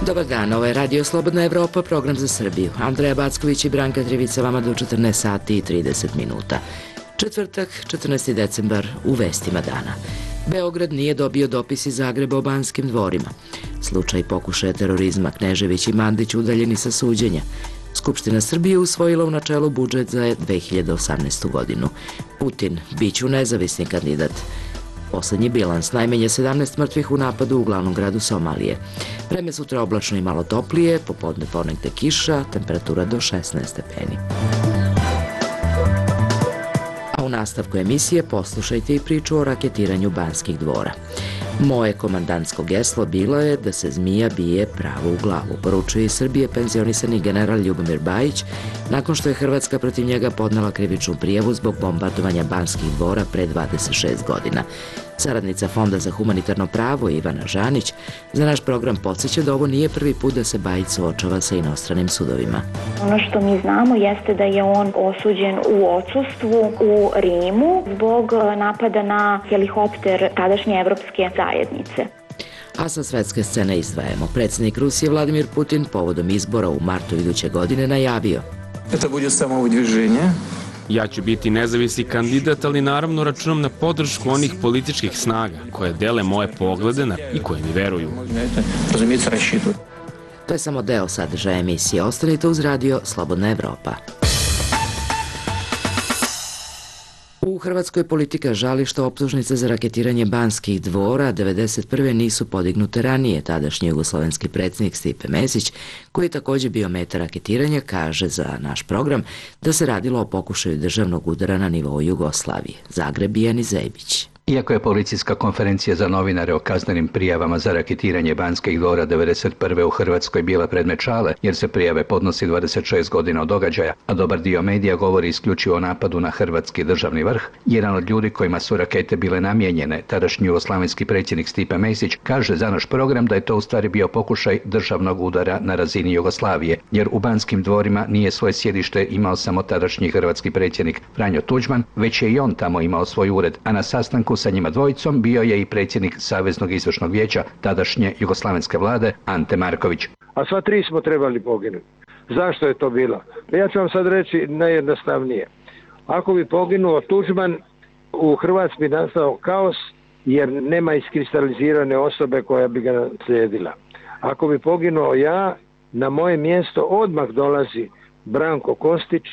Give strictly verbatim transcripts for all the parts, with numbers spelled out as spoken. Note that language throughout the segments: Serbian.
Dobar dan, ovo je Radio Slobodna Evropa, program za Srbiju. Andreja Backović i Branka Trivica vama do četrnaest sati i trideset minuta. Četvrtak, četrnaesti decembar, u vestima dana. Beograd nije dobio dopis iz Zagreba o Banskim dvorima. Slučaj pokušaja terorizma, Knežević i Mandić udaljeni sa suđenja. Skupština Srbije usvojila u načelu budžet za dve hiljade osamnaestu godinu. Putin, biću nezavisni kandidat. Poslednji bilans, najmanje sedamnaest mrtvih u napadu u glavnom gradu Somalije. Vreme sutra oblačno i malo toplije, popodne ponegde kiša, temperatura do šesnaest stepeni. A u nastavku emisije poslušajte i priču o raketiranju Banskih dvora. Moje komandantsko geslo bilo je da se zmija bije pravo u glavu, poručuje iz Srbije penzionisani general Ljubomir Bajić, nakon što je Hrvatska protiv njega podnela krivičnu prijavu zbog bombardovanja Banskih dvora pre dvadeset šest godina. Saradnica Fonda za humanitarno pravo Ivana Žanić za naš program podsjeća da ovo nije prvi put da se Bajić suočava sa inostranim sudovima. Ono što mi znamo jeste da je on osuđen u odsustvu u Rimu zbog napada na helikopter tadašnje evropske zajednice. A sa svetske scene izdvajamo. Predsjednik Rusije Vladimir Putin povodom izbora u martu iduće godine najavio: To bude samo udviženje. Ja ću biti nezavisni kandidat, ali naravno računam na podršku onih političkih snaga koje dele moje poglede na i koje mi veruju. To je samo deo sadržaja emisije. Ostanite uz Radio Slobodna Evropa. U Hrvatskoj politika žali što optužnice za raketiranje Banskih dvora devedeset prve nisu podignute ranije. Tadašnji jugoslovenski predsjednik Stipe Mesić, koji je također bio meta raketiranja, kaže za naš program da se radilo o pokušaju državnog udara na nivou Jugoslavije. Zagreb i Ani Zejbić. Iako je policijska konferencija za novinare o kaznenim prijavama za raketiranje Banskih dvora devedeset prve u Hrvatskoj bila predmet šale, jer se prijave podnosi dvadeset šest godina od događaja, a dobar dio medija govori isključivo o napadu na hrvatski državni vrh, jedan od ljudi kojima su rakete bile namijenjene, tadašnji jugoslavenski predsjednik Stipe Mesić, kaže za naš program da je to u stvari bio pokušaj državnog udara na razini Jugoslavije, jer u Banskim dvorima nije svoje sjedište imao samo tadašnji hrvatski predsjednik Franjo Tuđman, već je i on tamo imao svoj ured, a na sastanku sa njima dvojicom bio je i predsjednik Saveznog izvršnog vijeća tadašnje jugoslavenske vlade Ante Marković. A sva tri smo trebali poginuti. Zašto je to bilo? Ja ću vam sad reći najjednostavnije. Ako bi poginuo Tuđman, u Hrvatskoj bi nastao kaos jer nema iskristalizirane osobe koja bi ga naslijedila. Ako bi poginuo ja, na moje mjesto odmah dolazi Branko Kostić,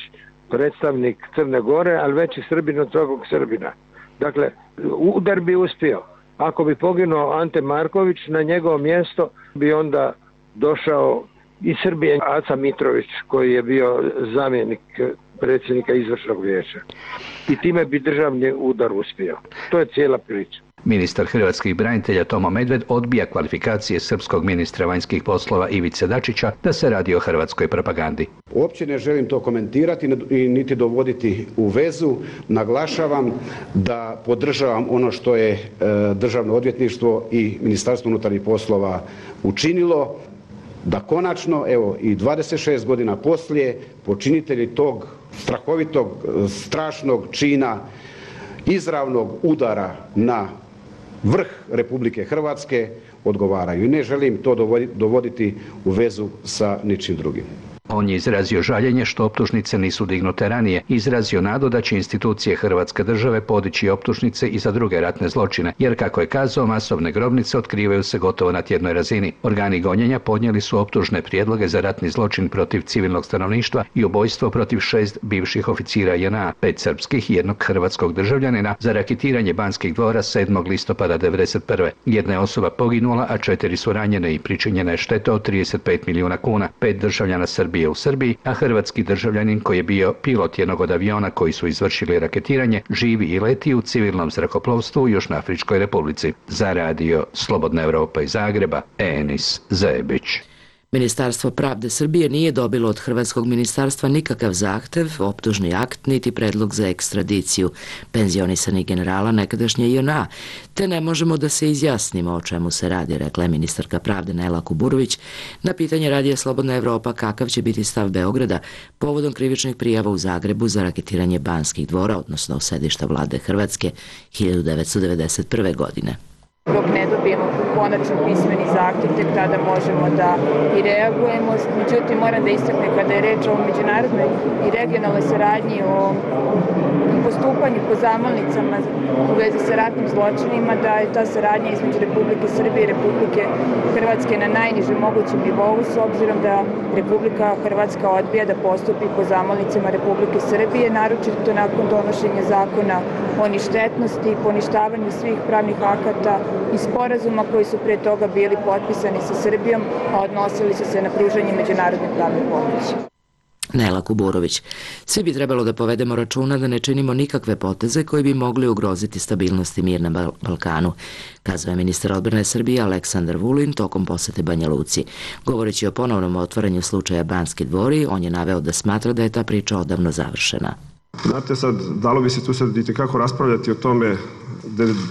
predstavnik Crne Gore, ali veći Srbin od svakog Srbina. Dakle, udar bi uspio. Ako bi poginuo Ante Marković, na njegovo mjesto bi onda došao iz Srbije Aca Mitrović, koji je bio zamjenik predsjednika izvršnog vijeća. I time bi državni udar uspio. To je cijela priča. Ministar hrvatskih branitelja Tomo Medved odbija kvalifikacije srpskog ministra vanjskih poslova Ivice Dačića da se radi o hrvatskoj propagandi. Uopće ne želim to komentirati i niti dovoditi u vezu. Naglašavam da podržavam ono što je e, Državno odvjetništvo i Ministarstvo unutarnjih poslova učinilo, da konačno, evo i dvadeset šest godina poslije, počinitelji tog strahovitog, strašnog čina izravnog udara na vrh Republike Hrvatske odgovaraju. I ne želim to dovoditi u vezu sa ničim drugim. On je izrazio žaljenje što optužnice nisu dignute ranije, izrazio nadu da će institucije Hrvatske države podići optužnice i za druge ratne zločine, jer kako je kazao, masovne grobnice otkrivaju se gotovo na tjednoj razini. Organi gonjenja podnijeli su optužne prijedloge za ratni zločin protiv civilnog stanovništva i ubojstvo protiv šest bivših oficira J N A, pet srpskih i jednog hrvatskog državljanina za raketiranje Banskih dvora sedmog listopada devedeset prve. Jedna je osoba poginula, a četiri su ranjene i pričinjena je šteta od trideset pet milijuna kuna. Pet državljana Srbije u Srbiji, a hrvatski državljanin koji je bio pilot jednog od aviona koji su izvršili raketiranje živi i leti u civilnom zrakoplovstvu u Južnoafričkoj Republici. Za Radio Slobodna Evropa iz Zagreba, Enis Zebić. Ministarstvo pravde Srbije nije dobilo od Hrvatskog ministarstva nikakav zahtev, optužni akt, niti predlog za ekstradiciju penzionisanih generala nekadašnje J N A, te ne možemo da se izjasnimo o čemu se radi, rekla je ministarka pravde Nela Kuburović na pitanje Radija Slobodna Evropa kakav će biti stav Beograda povodom krivičnih prijava u Zagrebu za raketiranje Banskih dvora, odnosno sedišta vlade Hrvatske hiljadu devetsto devedeset prve godine. Dok ne dobijemo konačan pismeni zahtjev, tek tada možemo da i reagujemo. Međutim, moram da istaknem kada je reč o međunarodnoj i regionalnoj saradnji, o postupanju po zamolnicama u vezi sa ratnim zločinima, da je ta saradnja između Republike Srbije i Republike Hrvatske na najnižem mogućem nivou, s obzirom da Republika Hrvatska odbija da postupi po zamolnicama Republike Srbije, naročito nakon donošenja zakona o ništetnosti, poništavanju svih pravnih akata i sporazuma koji su pre toga bili potpisani sa Srbijom, a odnosili su se na pružanje međunarodne pravne pomoći. Nela Kuburović. Svi bi trebalo da povedemo računa da ne činimo nikakve poteze koji bi mogli ugroziti stabilnost i mir na Balkanu, kazao je ministar odbrane Srbije Aleksandar Vulin tokom posete Banja Luci. Govoreći o ponovnom otvaranju slučaja Banski dvori, on je naveo da smatra da je ta priča odavno završena. Znate, sad, dalo bi se tu sad i tekako raspravljati o tome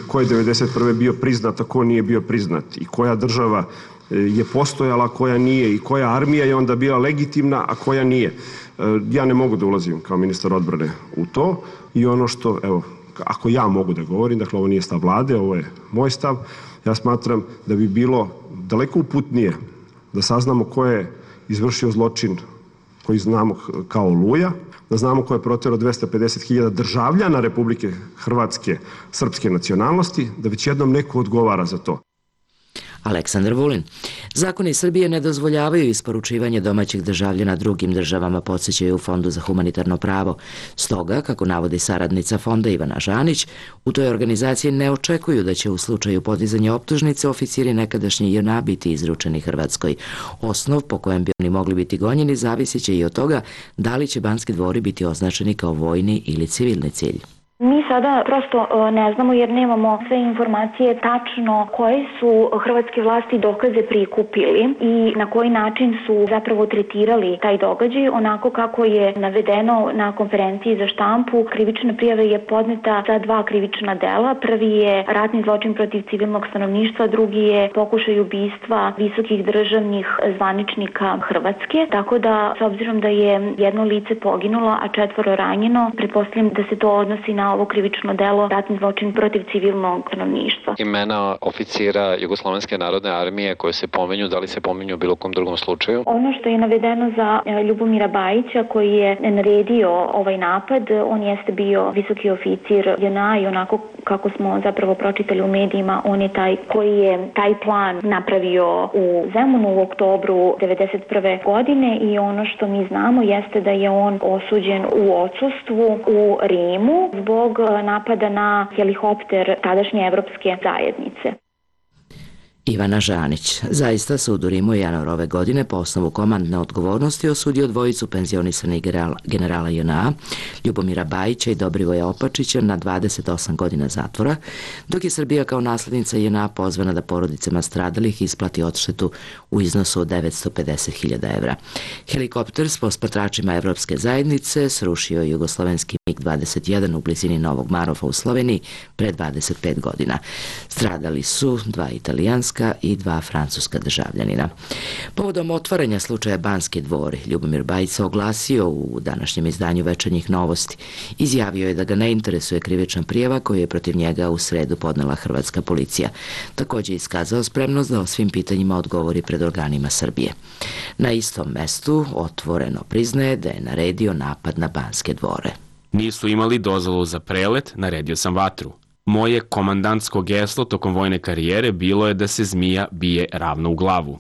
ko je devedeset prve bio priznat, a ko nije bio priznat i koja država je postojala, koja nije i koja armija je onda bila legitimna, a koja nije. Ja ne mogu da ulazim kao ministar odbrane u to i ono što, evo, ako ja mogu da govorim, dakle ovo nije stav vlade, ovo je moj stav, ja smatram da bi bilo daleko uputnije da saznamo ko je izvršio zločin koji znamo kao Oluja, da znamo ko je proterao dvesta pedeset hiljada državljana Republike Hrvatske srpske nacionalnosti, da već jednom neko odgovara za to. Aleksandar Vulin. Zakoni Srbije ne dozvoljavaju isporučivanje domaćih državljana drugim državama, podsjećaju u Fondu za humanitarno pravo. Stoga, kako navodi saradnica fonda Ivana Žanić, u toj organizaciji ne očekuju da će u slučaju podizanja optužnice oficiri nekadašnje J N A biti izručeni Hrvatskoj. Osnov po kojem bi oni mogli biti gonjeni zavisit će i od toga da li će Banski dvori biti označeni kao vojni ili civilni cilj. Mi sada prosto ne znamo jer nemamo sve informacije tačno koje su hrvatske vlasti dokaze prikupili i na koji način su zapravo tretirali taj događaj. Onako kako je navedeno na konferenciji za štampu, krivična prijava je podneta za dva krivična dela. Prvi je ratni zločin protiv civilnog stanovništva, drugi je pokušaj ubistva visokih državnih zvaničnika Hrvatske. Tako da, s obzirom da je jedno lice poginulo, a četvoro ranjeno, pretpostavljam da se to odnosi na ovo krivično delo ratni zločin protiv civilnog stanovništva. Imena oficira Jugoslovenske narodne armije koje se pominju, da li se pominju u bilo kom drugom slučaju? Ono što je navedeno za Ljubomira Bajića koji je naredio ovaj napad, on jeste bio visoki oficir J N A i onako kako smo zapravo pročitali u medijima, on je taj koji je taj plan napravio u Zemunu u oktobru devedeset prve godine i ono što mi znamo jeste da je on osuđen u odsustvu u Rimu zbog napada na helikopter tadašnje Evropske zajednice. Ivana Žanić. Zaista sud u Rimu januar ove godine po osnovu komandne odgovornosti osudio dvojicu penzionisanih generala J N A, Ljubomira Bajića i Dobrivoja Opačića na dvadeset osam godina zatvora, dok je Srbija kao naslednica J N A pozvana da porodicama stradalih isplati odštetu u iznosu od devetsto pedeset hiljada evra. Helikopter s posmatračima Evropske zajednice srušio je jugoslovenski MiG dvadeset jedan u blizini Novog Marofa u Sloveniji pre dvadeset pet godina. Stradali su dva italijanska i dva francuska državljanina. Povodom otvaranja slučaja Banski dvori, Ljubomir Bajić se oglasio u današnjem izdanju Večernjih novosti. Izjavio je da ga ne interesuje krivična prijava koju je protiv njega u sredu podnela hrvatska policija. Također je iskazao spremnost da o svim pitanjima odgovori pred organima Srbije. Na istom mestu otvoreno priznaje da je naredio napad na Banske dvore. Nisu imali dozvolu za prelet, naredio sam vatru. Moje komandantsko geslo tokom vojne karijere bilo je da se zmija bije ravno u glavu.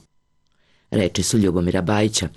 Reči su Ljubomira Bajića.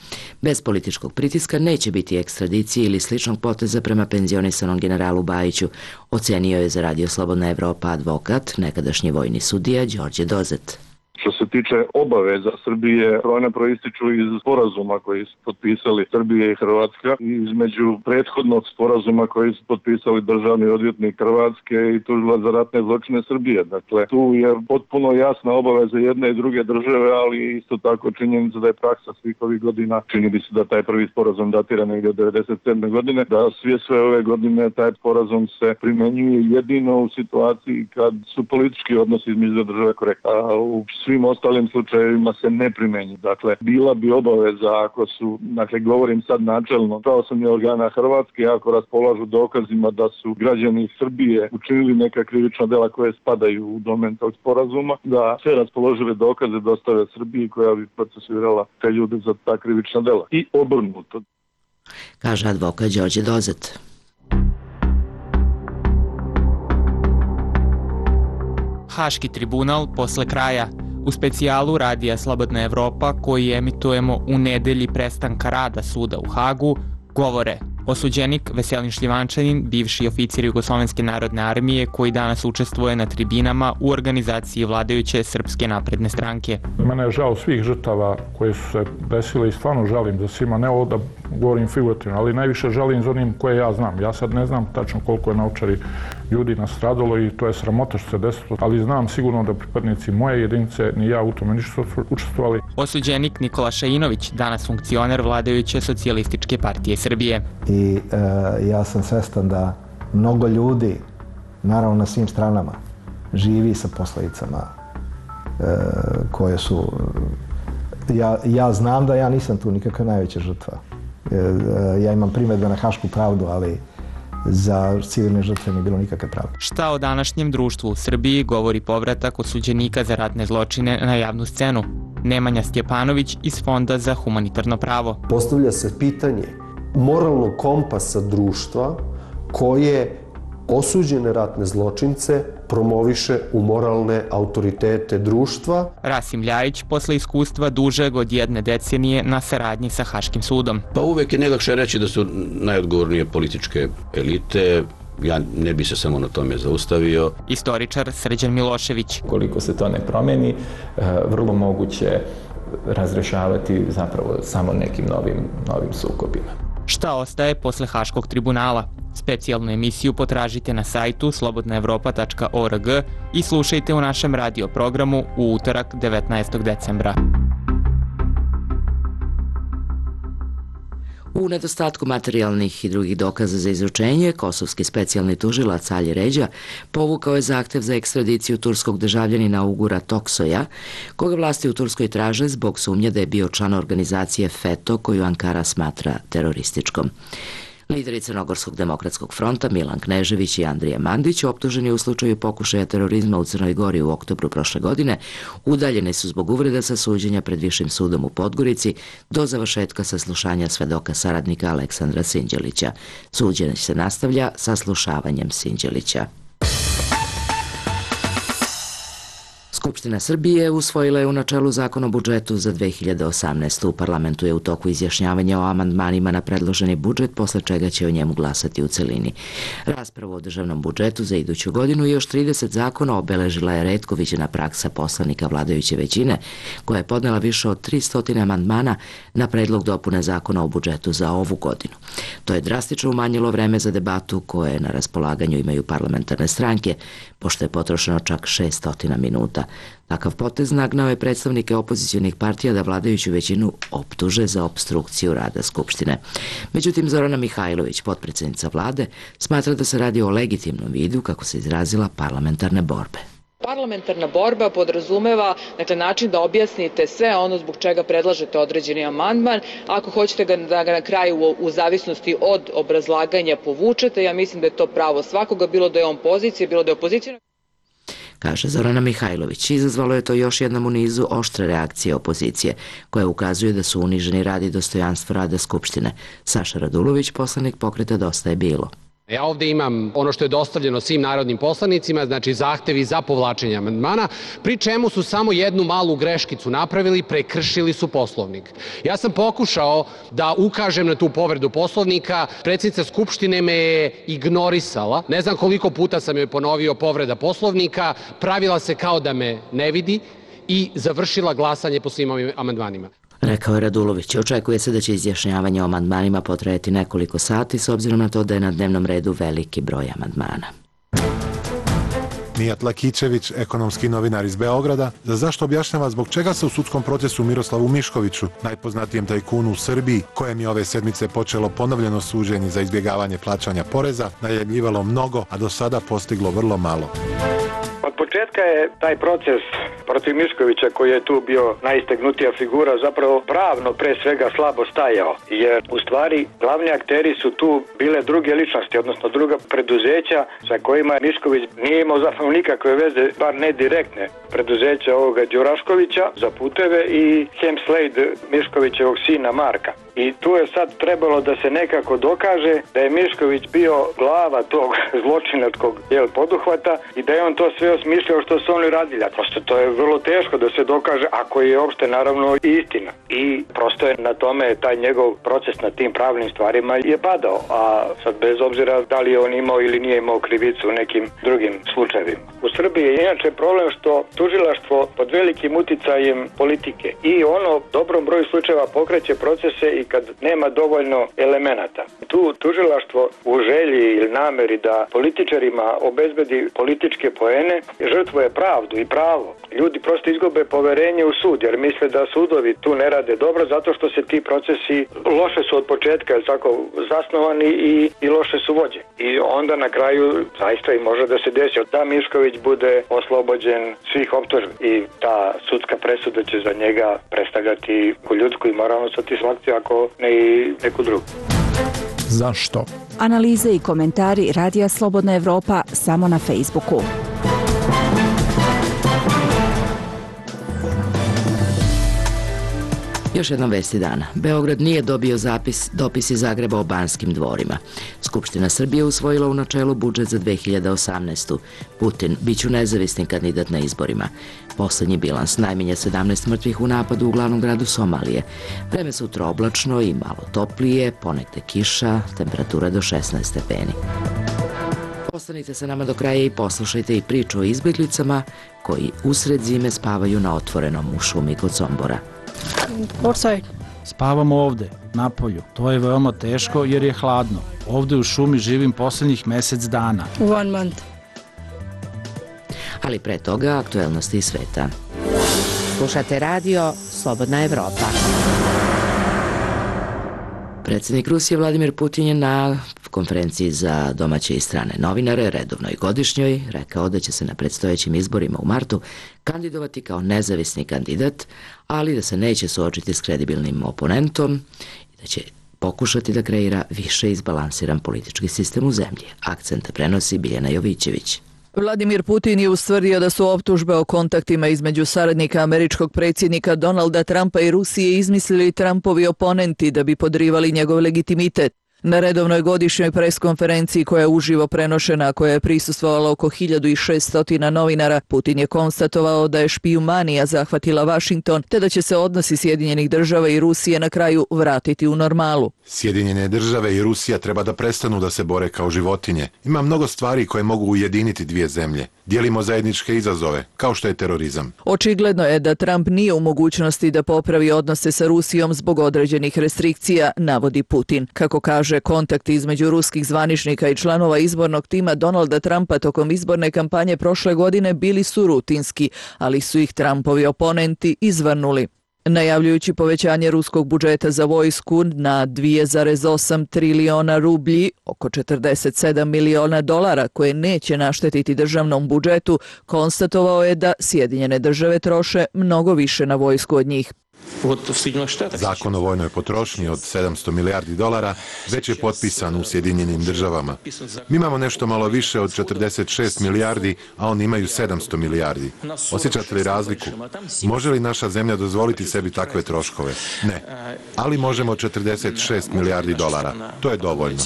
Bez političkog pritiska neće biti ekstradicije ili sličnog poteza prema penzionisanom generalu Bajiću, ocenio je za Radio Slobodna Evropa advokat, nekadašnji vojni sudija Đorđe Dozet. Što se tiče obaveza Srbije, one proističu iz sporazuma koji su potpisali Srbije i Hrvatska, između prethodnog sporazuma koji su potpisali državni odvjetnik Hrvatske i tužilac za ratne zločine Srbije. Dakle, tu je potpuno jasna obaveza jedne i druge države, ali isto tako činjenica da je praksa svih ovih godina. Čini bi se da taj prvi sporazum datira negdje od devedeset sedme godine, da sve sve ove godine taj sporazum se primenjuje jedino u situaciji kad su politički odnosi između države korektni. U svim ostalim slučajevima se ne primjenjuje. Dakle, bila bi obaveza ako su, dakle govorim sad načelno, pravosudnih organa Hrvatske, ako raspolažu dokazima da su građani Srbije učinili neka krivična dela koje spadaju u domen tog sporazuma, da sve raspoložive dokaze dostave Srbiji koja bi procesuirala te ljude za ta krivična dela. I obrnuto. Kaže advokat Đorđe Dozet. Haški tribunal posle kraja. U specijalu radija Slobodna Evropa, koji emitujemo u nedelji prestanka rada suda u Hagu, govore osuđenik Veselin Šljivančanin, bivši oficir Jugoslovenske narodne armije koji danas učestvuje na tribinama u organizaciji vladajuće Srpske napredne stranke. Mene je žao svih žrtava koje su se desile i stvarno žalim za svima, ne ovo da govorim figurativno, ali najviše žalim za onim koje ja znam. Ja sad ne znam tačno koliko je na Ovčari ljudi nastradalo i to je sramota što se desilo, ali znam sigurno da pripadnici moje jedinice ni ja u tome nisu učestvovali. Osuđenik Nikola Šainović, danas funkcioner vladajuće Socijalističke partije Srbije. I e, ja sam svestan da mnogo ljudi, naravno na svim stranama, živi sa posledicama e, koje su... Ja, ja znam da ja nisam tu nikakva najveća žrtva. E, e, ja imam primedbe na Hašku pravdu, ali za civilne žrtve nije bilo nikakve pravde. Šta o današnjem društvu u Srbiji govori povratak osuđenika za ratne zločine na javnu scenu? Nemanja Stjepanović iz Fonda za humanitarno pravo. Postavlja se pitanje moralnog kompasa društva koje osuđene ratne zločince promoviše u moralne autoritete društva. Rasim Ljajić, posle iskustva dužeg od jedne decenije na saradnji sa Haškim sudom. Pa uvek je najlakše reći da su najodgovornije političke elite. Ja ne bi se samo na tome zaustavio. Istoričar Srđan Milošević. Koliko se to ne promeni, vrlo moguće razrešavati zapravo samo nekim novim, novim sukobima. Šta ostaje posle Haškog tribunala? Specijalnu emisiju potražite na sajtu slobodna evropa tačka org i slušajte u našem radio programu u utorak devetnaestog decembra. U nedostatku materijalnih i drugih dokaza za izručenje, kosovski specijalni tužilac Ali Ređa povukao je zahtev za ekstradiciju turskog državljanina Ugura Toksoja, koga vlasti u Turskoj traže zbog sumnje da je bio član organizacije FETO koju Ankara smatra terorističkom. Lideri Crnogorskog demokratskog fronta Milan Knežević i Andrija Mandić, optuženi u slučaju pokušaja terorizma u Crnoj Gori u oktobru prošle godine, udaljeni su zbog uvreda sa suđenja pred Višim sudom u Podgorici do završetka saslušanja svedoka saradnika Aleksandra Sinđelića. Suđenje se nastavlja saslušavanjem Sinđelića. Skupština Srbije usvojila je u načelu zakon o budžetu za dve hiljade osamnaestu. U parlamentu je u toku izjašnjavanja o amandmanima na predloženi budžet, posle čega će o njemu glasati u celini. Raspravu o državnom budžetu za iduću godinu i još trideset zakona obeležila je retko viđena praksa poslanika vladajuće većine, koja je podnela više od tristo amandmana na predlog dopune zakona o budžetu za ovu godinu. To je drastično umanjilo vreme za debatu koje na raspolaganju imaju parlamentarne stranke, pošto je potrošeno čak šessto minuta. Takav potez nagnao je predstavnike opozicionih partija da vladajuću većinu optuže za opstrukciju rada Skupštine. Međutim, Zorana Mihajlović, potpredsednica vlade, smatra da se radi o legitimnom vidu, kako se izrazila, parlamentarne borbe. Parlamentarna borba podrazumeva dakle, način da objasnite sve ono zbog čega predlažete određeni amandman. Ako hoćete ga, da ga na kraju u, u zavisnosti od obrazlaganja povučete, ja mislim da je to pravo svakoga, bilo da je on pozicija, bilo da je opozicija. Kaže Zorana Mihajlović. Izazvalo je to još jednom u nizu oštre reakcije opozicije, koja ukazuje da su uniženi rad i dostojanstvo rada Skupštine. Saša Radulović, poslanik Pokreta Dosta je bilo. Ja ovde imam ono što je dostavljeno svim narodnim poslanicima, znači zahtevi za povlačenje amandmana, pri čemu su samo jednu malu greškicu napravili, prekršili su Poslovnik. Ja sam pokušao da ukažem na tu povredu Poslovnika, predsjednica Skupštine me je ignorisala, ne znam koliko puta sam joj ponovio povreda Poslovnika, pravila se kao da me ne vidi i završila glasanje po svim ovim amandmanima. Rekao je Radulović. Očekuje se da će izjašnjavanje o amandmanima potrajati nekoliko sati, s obzirom na to da je na dnevnom redu veliki broj amandmana. Mijat Lakićević, ekonomski novinar iz Beograda, za zašto objašnjava zbog čega se u sudskom procesu Miroslavu Miškoviću, najpoznatijem tajkunu u Srbiji, kojem je ove sedmice počelo ponovljeno suđenje za izbjegavanje plaćanja poreza, najavljivalo mnogo, a do sada postiglo vrlo malo. Pa početka je taj proces protiv Miškovića, koji je tu bio najistegnutija figura, zapravo pravno pre svega slabo stajao, jer u stvari glavni akteri su tu bile druge ličnosti, odnosno druga preduzeća sa kojima Mišković nije imao zapravo nikakve veze, bar ne direktne, preduzeća ovoga Đuraškovića za puteve i Hemslade, Miškovićevog sina Marka. I tu je sad trebalo da se nekako dokaže da je Mišković bio glava tog zločinačkog jel, poduhvata i da je on to sve osmišljao što su oni radili. A prosto to je vrlo teško da se dokaže, ako je uopšte naravno istina. I prosto je na tome taj njegov proces na tim pravnim stvarima je padao. A sad bez obzira da li je on imao ili nije imao krivicu u nekim drugim slučajevima. U Srbiji je inače problem što tužilaštvo pod velikim uticajem politike i ono dobrom broju slučajeva pokreće procese i kad nema dovoljno elemenata. Tu tužilaštvo u želji ili nameri da političarima obezbedi političke poene žrtvuje pravdu i pravo. Ljudi prosto izgube poverenje u sud jer misle da sudovi tu ne rade dobro zato što se ti procesi loše su od početka tako zasnovani i, i loše su vođe. I onda na kraju zaista i može da se desi da Mišković bude oslobođen svih optužbi i ta sudska presuda će za njega predstavljati ljudsku i moralnu satisfakciju ako ne i neku drugu. Zašto? Analize i komentari Radija Slobodna Evropa samo na Facebooku. Još jednom vesti dana. Beograd nije dobio zapis, dopis iz Zagreba o Banskim dvorima. Skupština Srbije usvojila u načelu budžet za dve hiljade osamnaestu. Putin biću nezavisni kandidat na izborima. Poslednji bilans, najmanje sedamnaest mrtvih u napadu u glavnom gradu Somalije. Vreme sutra oblačno i malo toplije, ponegde kiša, temperatura do šesnaest stepeni. Ostanite sa nama do kraja i poslušajte i priču o izbjeglicama koji usred zime spavaju na otvorenom u šumi kod Sombora. Spavamo ovde, na polju. To je veoma teško jer je hladno. Ovde u šumi živim poslednjih mesec dana. One month. Ali pre toga aktuelnosti iz sveta. Slušate radio Slobodna Evropa. Predsjednik Rusije Vladimir Putin je na konferenciji za domaće i strane novinare, redovnoj godišnjoj, rekao da će se na predstojećim izborima u martu kandidovati kao nezavisni kandidat, ali da se neće suočiti s kredibilnim oponentom i da će pokušati da kreira više izbalansiran politički sistem u zemlji. Akcent prenosi Biljana Jovićević. Vladimir Putin je ustvrdio da su optužbe o kontaktima između saradnika američkog predsjednika Donalda Trumpa i Rusije izmislili Trumpovi oponenti da bi podrivali njegov legitimitet. Na redovnoj godišnjoj preskonferenciji koja je uživo prenošena, koja je prisustvovalo oko hiljadu šessto novinara, Putin je konstatovao da je špijumanija zahvatila Vašington, te da će se odnosi Sjedinjenih država i Rusije na kraju vratiti u normalu. Sjedinjene države i Rusija treba da prestanu da se bore kao životinje. Ima mnogo stvari koje mogu ujediniti dvije zemlje. Dijelimo zajedničke izazove, kao što je terorizam. Očigledno je da Trump nije u mogućnosti da popravi odnose sa Rusijom zbog određenih restrikcija, navodi Putin. Kako kaže, kontakti između ruskih zvaničnika i članova izbornog tima Donalda Trumpa tokom izborne kampanje prošle godine bili su rutinski, ali su ih Trumpovi oponenti izvrnuli. Najavljujući povećanje ruskog budžeta za vojsku na dvije zarez osam triliona rublji, oko četrdeset sedam miliona dolara, koje neće naštetiti državnom budžetu, konstatovao je da Sjedinjene države troše mnogo više na vojsku od njih. Zakon o vojnoj potrošnji od sedamsto milijardi dolara već je potpisan u Sjedinjenim državama. Mi imamo nešto malo više od četrdeset šest milijardi, a oni imaju sedamsto milijardi. Osjećate li razliku? Može li naša zemlja dozvoliti sebi takve troškove? Ne. Ali možemo četrdeset šest milijardi dolara. To je dovoljno.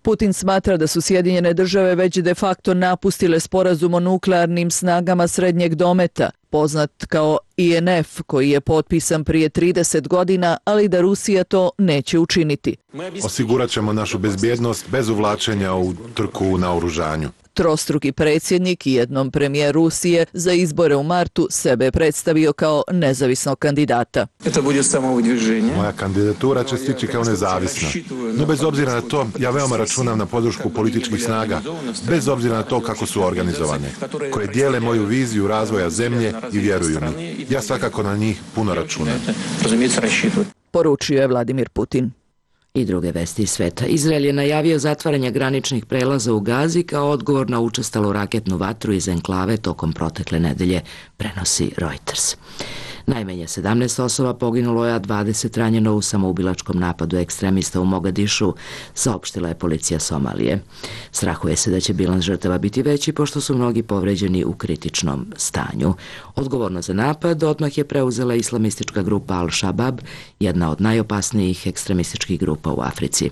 Putin smatra da su Sjedinjene države već de facto napustile sporazum o nuklearnim snagama srednjeg dometa, poznat kao I N F, koji je potpisan prije trideset godina, ali da Rusija to neće učiniti. Osigurat ćemo našu bezbjednost bez uvlačenja u trku u naoružanju. Trostruki predsjednik i jednom premijer Rusije za izbore u martu sebe je predstavio kao nezavisnog kandidata. Moja kandidatura će stići kao nezavisna. No bez obzira na to, ja veoma računam na podršku političkih snaga, bez obzira na to kako su organizovane, koje dijele moju viziju razvoja zemlje i vjeruju mi. Ja svakako na njih puno računam. Poručio je Vladimir Putin. I druge vesti iz sveta. Izrael je najavio zatvaranje graničnih prelaza u Gazi kao odgovor na učestalu raketnu vatru iz enklave tokom protekle nedelje, prenosi Reuters. Najmanje sedamnaest osoba poginulo je, a dvadeset ranjeno u samoubilačkom napadu ekstremista u Mogadišu, saopštila je policija Somalije. Strahuje se da će bilans žrtava biti veći, pošto su mnogi povređeni u kritičnom stanju. Odgovorno za napad odmah je preuzela islamistička grupa Al-Shabaab, jedna od najopasnijih ekstremističkih grupa u Africi.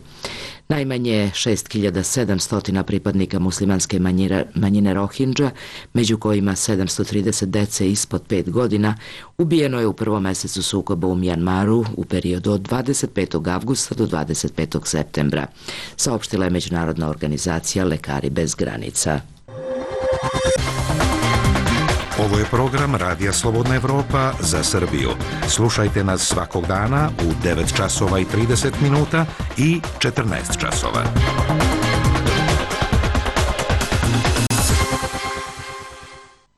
Najmanje šest hiljada sedamsto pripadnika muslimanske manjine, manjine Rohingya, među kojima sedamsto trideset dece ispod pet godina, ubijeno je u prvom mesecu sukoba u Mjanmaru u periodu od dvadeset petog avgusta do dvadeset petog septembra, saopštila je međunarodna organizacija Lekari bez granica. Ovo je program Radija Slobodna Evropa za Srbiju. Slušajte nas svakog dana u devet časova i trideset minuta i četrnaest časova.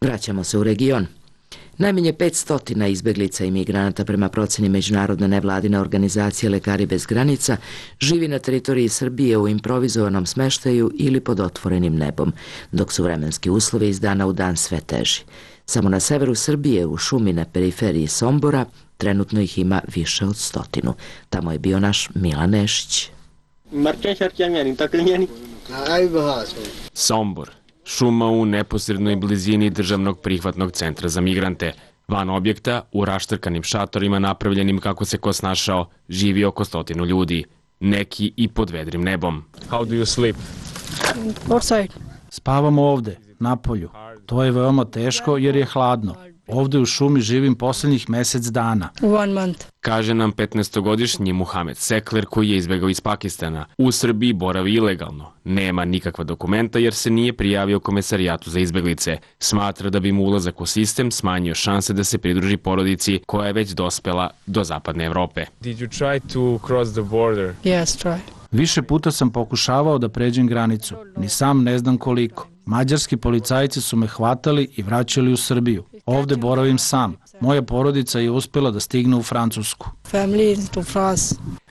Vraćamo se u region. Najmanje petsto izbeglica i migranata prema proceni međunarodne nevladine organizacije Lekari bez granica živi na teritoriji Srbije u improvizovanom smeštaju ili pod otvorenim nebom, dok su vremenski uslovi iz dana u dan sve teži. Samo na severu Srbije, u šumi na periferiji Sombora, trenutno ih ima više od stotinu. Tamo je bio naš Milan Nešić. Sombor, šuma u neposrednoj blizini državnog prihvatnog centra za migrante. Van objekta, u raštrkanim šatorima napravljenim kako se ko snašao, živi oko stotinu ljudi. Neki i pod vedrim nebom. How do you sleep? Outside. Spavamo ovde, na polju. To je veoma teško jer je hladno. Ovde u šumi živim posljednjih mesec dana. One month. Kaže nam petnaestogodišnji Muhamed Sekler koji je izbegao iz Pakistana. U Srbiji boravi ilegalno. Nema nikakva dokumenta jer se nije prijavio Komesarijatu za izbeglice. Smatra da bi mu ulazak u sistem smanjio šanse da se pridruži porodici koja je već dospela do zapadne Evrope. Did you try to cross the border? Yes, try. Više puta sam pokušavao da pređem granicu. Ni sam ne znam koliko. Mađarski policajci su me hvatali i vraćali u Srbiju. Ovde boravim sam. Moja porodica je uspjela da stigne u Francusku.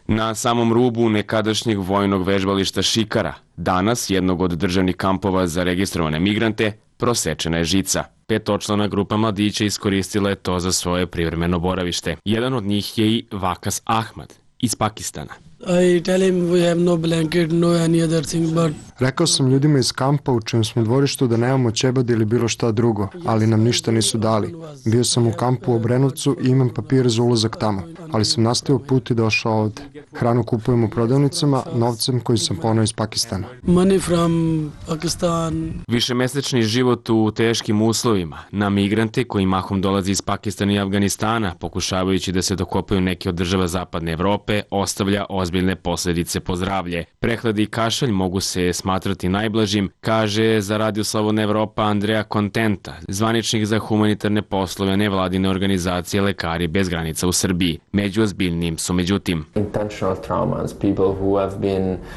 Na samom rubu nekadašnjeg vojnog vežbališta Šikara, danas jednog od državnih kampova za registrovane migrante, prosečena je žica. Petočlana grupa mladića iskoristila je to za svoje privremeno boravište. Jedan od njih je i Vakas Ahmad iz Pakistana. I tell him we have no blanket, no any other thing, but... Rekao sam ljudima iz kampa u čijem smo dvorištu da nemamo ćebad ili bilo šta drugo, ali nam ništa nisu dali. Bio sam u kampu u Obrenovcu i imam papire za ulazak tamo, ali sam nastavio put i došao ovde. Hranu kupujem u prodavnicama, novcem koji sam poneo iz Pakistana. Money from Pakistan. Višemesečni život u teškim uslovima na migrante koji mahom dolazi iz Pakistana i Afganistana, pokušavajući da se dokopaju neke od država zapadne Evrope, ostavlja ozbiljne posljedice po zdravlje. Prehlad i kašalj mogu se smatrati najblažim, kaže za Radio Slobodna Evropa Andreja Kontenta, zvaničnik za humanitarne poslove nevladine organizacije Lekari bez granica u Srbiji. Među ozbiljnim su međutim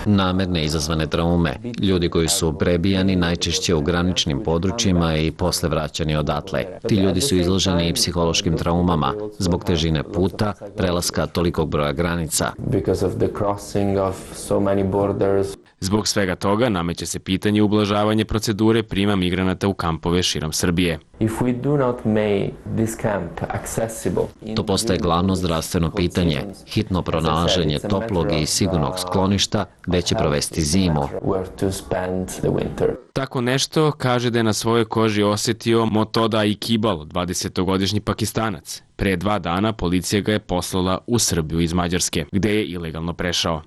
namerne izazvane traume, ljudi koji su prebijani najčešće u graničnim područjima i posle vraćani odatle. Ti ljudi su izloženi i psihološkim traumama zbog težine puta, prelaska tolikog broja granica. Zbog svega toga nameće se pitanje ublažavanja procedure prima migranata u kampove širom Srbije. To postaje glavno zdravstveno pitanje, hitno pronalaženje toplog i sigurnog skloništa gde će provesti zimu. Tako nešto kaže da je na svojoj koži osjetio Motoda Ikibal, dvadesetogodišnji Pakistanac. Pre dva dana policija ga je poslala u Srbiju iz Mađarske, gde je ilegalno prešao.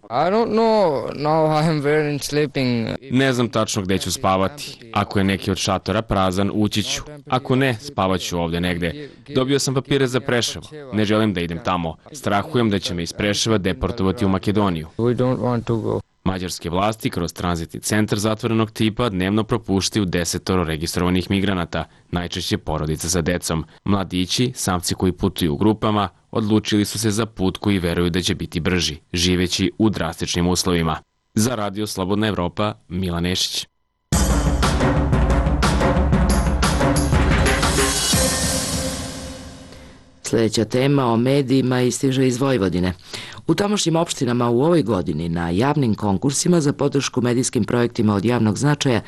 Ne znam tačno gde ću spavati. Ako je neki od šatora prazan, ući ću. Ako ne, spavat ću ovde negde. Dobio sam papire za Preševo. Ne želim da idem tamo. Strahujem da će me iz Preševa deportovati u Makedoniju. Mađarske vlasti kroz tranzitni centar zatvorenog tipa dnevno propuštaju desetoro registrovanih migranata, najčešće porodica sa decom. Mladići, samci koji putuju u grupama, odlučili su se za put koji veruju da će biti brži, živeći u drastičnim uslovima. Za Radio Slobodna Evropa, Milan Nešić. Sljedeća tema o medijima istiže iz Vojvodine. U tamošnjim opštinama u ovoj godini na javnim konkursima za podršku medijskim projektima od javnog značaja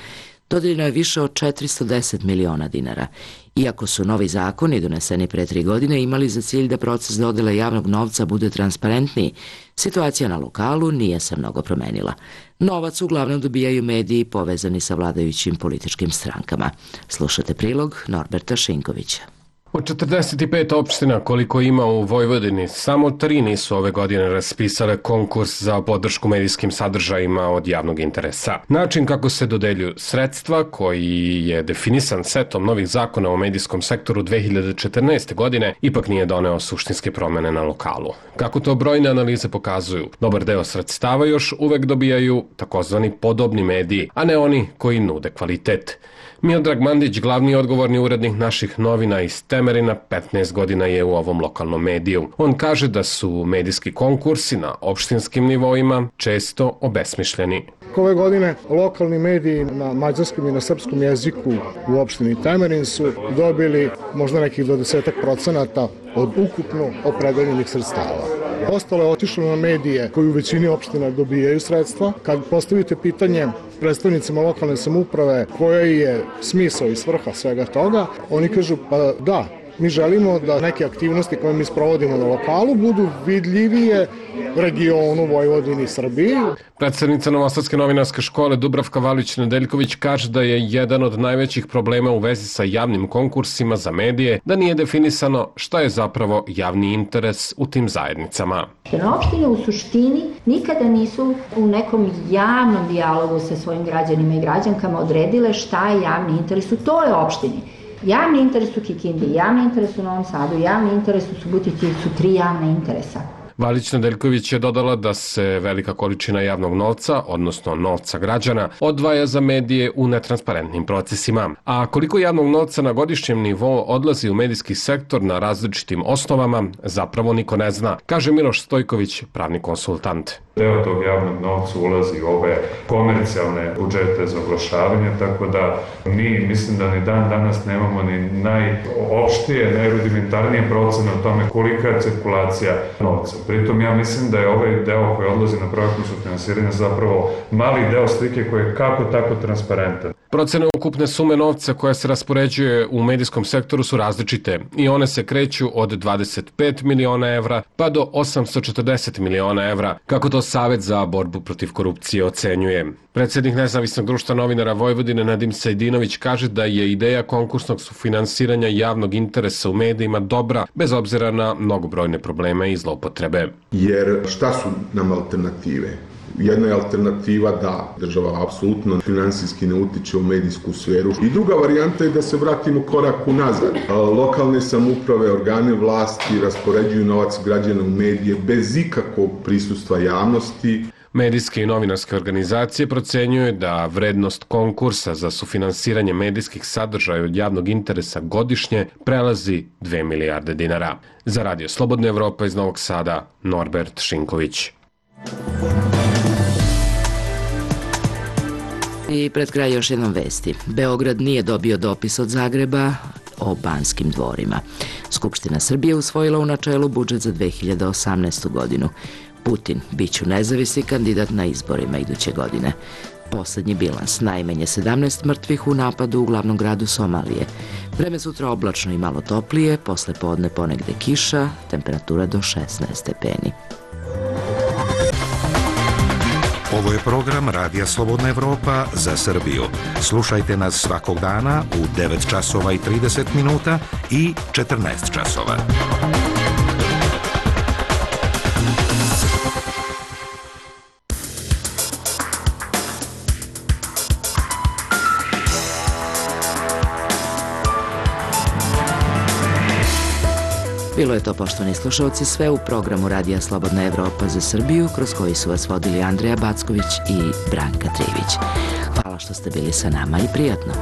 dodeljeno je više od četiristo deset miliona dinara. Iako su novi zakoni doneseni pre tri godine imali za cilj da proces dodele javnog novca bude transparentniji, situacija na lokalu nije se mnogo promenila. Novac uglavnom dobijaju mediji povezani sa vladajućim političkim strankama. Slušate prilog Norberta Šinkovića. Od četrdeset pet opština koliko ima u Vojvodini, samo tri nisu ove godine raspisale konkurs za podršku medijskim sadržajima od javnog interesa. Način kako se dodeljuju sredstva, koji je definisan setom novih zakona o medijskom sektoru dve hiljade četrnaeste. godine, ipak nije doneo suštinske promene na lokalu. Kako to brojne analize pokazuju, dobar deo sredstava još uvek dobijaju takozvani podobni mediji, a ne oni koji nude kvalitet. Miodrag Mandić, glavni odgovorni urednik naših novina iz Temerina, petnaest godina je u ovom lokalnom mediju. On kaže da su medijski konkursi na opštinskim nivoima često obesmišljeni. Ove godine lokalni mediji na mađarskom i na srpskom jeziku u opštini Temerin su dobili možda nekih dvadeset procenata od ukupno opredeljenih sredstava. Ostalo je otišlo na medije koji u većini opština dobijaju sredstva. Kad postavite pitanje predstavnicima lokalne samouprave koja je smisao i svrha svega toga, oni kažu pa da, mi želimo da neke aktivnosti koje mi sprovodimo na lokalu budu vidljivije regionu, Vojvodini, Srbiji. Predsednica Novosadske novinarske škole Dubravka Valić-Nedeljković kaže da je jedan od najvećih problema u vezi sa javnim konkursima za medije da nije definisano šta je zapravo javni interes u tim zajednicama. Opštine u suštini nikada nisu u nekom javnom dijalogu sa svojim građanima i građankama odredile šta je javni interes u toj opštini. Javni interes u Kikindi, javni interes u Novom Sadu, javni interes u Subotici su tri javna interesa. Valić Nedeljković je dodala da se velika količina javnog novca, odnosno novca građana, odvaja za medije u netransparentnim procesima. A koliko javnog novca na godišnjem nivou odlazi u medijski sektor na različitim osnovama, zapravo niko ne zna, kaže Miloš Stojković, pravni konsultant. Deo tog javnog novca ulazi u ove komercijalne budžete za oglašavanje, tako da mi, mislim da ni dan danas nemamo ni najopštije, najrudimentarnije procene o tome kolika je cirkulacija novca. Pritom ja mislim da je ovaj deo koji odlazi na projektno sufinansiranje zapravo mali deo slike koji je kako tako transparentan. Procene ukupne sume novca koja se raspoređuje u medijskom sektoru su različite i one se kreću od dvadeset pet miliona evra pa do osamsto četrdeset miliona evra, kako to Savet za borbu protiv korupcije ocenjuje. Predsednik Nezavisnog društva novinara Vojvodine Nadim Sajdinović kaže da je ideja konkursnog sufinansiranja javnog interesa u medijima dobra, bez obzira na mnogobrojne probleme i zloupotrebe. Jer šta su nam alternative? Jedna je alternativa da država apsolutno finansijski ne utiče u medijsku sferu. I druga varijanta je da se vratimo korak unazad. Lokalne samouprave, organe vlasti raspoređuju novac građana u medije bez ikakvog prisustva javnosti. Medijske i novinarske organizacije procenjuju da vrednost konkursa za sufinansiranje medijskih sadržaja od javnog interesa godišnje prelazi dve milijarde dinara. Za Radio Slobodna Evropa iz Novog Sada, Norbert Šinković. I pred kraj još jednom vesti. Beograd nije dobio dopis od Zagreba o Banskim dvorima. Skupština Srbije usvojila u načelu budžet za dve hiljade osamnaestu. godinu. Putin biću nezavisni kandidat na izborima iduće godine. Poslednji bilans, najmanje sedamnaest mrtvih u napadu u glavnom gradu Somalije. Vreme sutra oblačno i malo toplije, posle podne ponegde kiša, temperatura do šesnaest stepeni. Ovo je program Radija Slobodna Evropa za Srbiju. Slušajte nas svakog dana u devet časova i trideset minuta i četrnaest časova. Bilo je to, poštovani slušalci, sve u programu Radija Slobodna Evropa za Srbiju, kroz koji su vas vodili Andreja Backović i Branka Trivić. Hvala što ste bili sa nama i prijatno.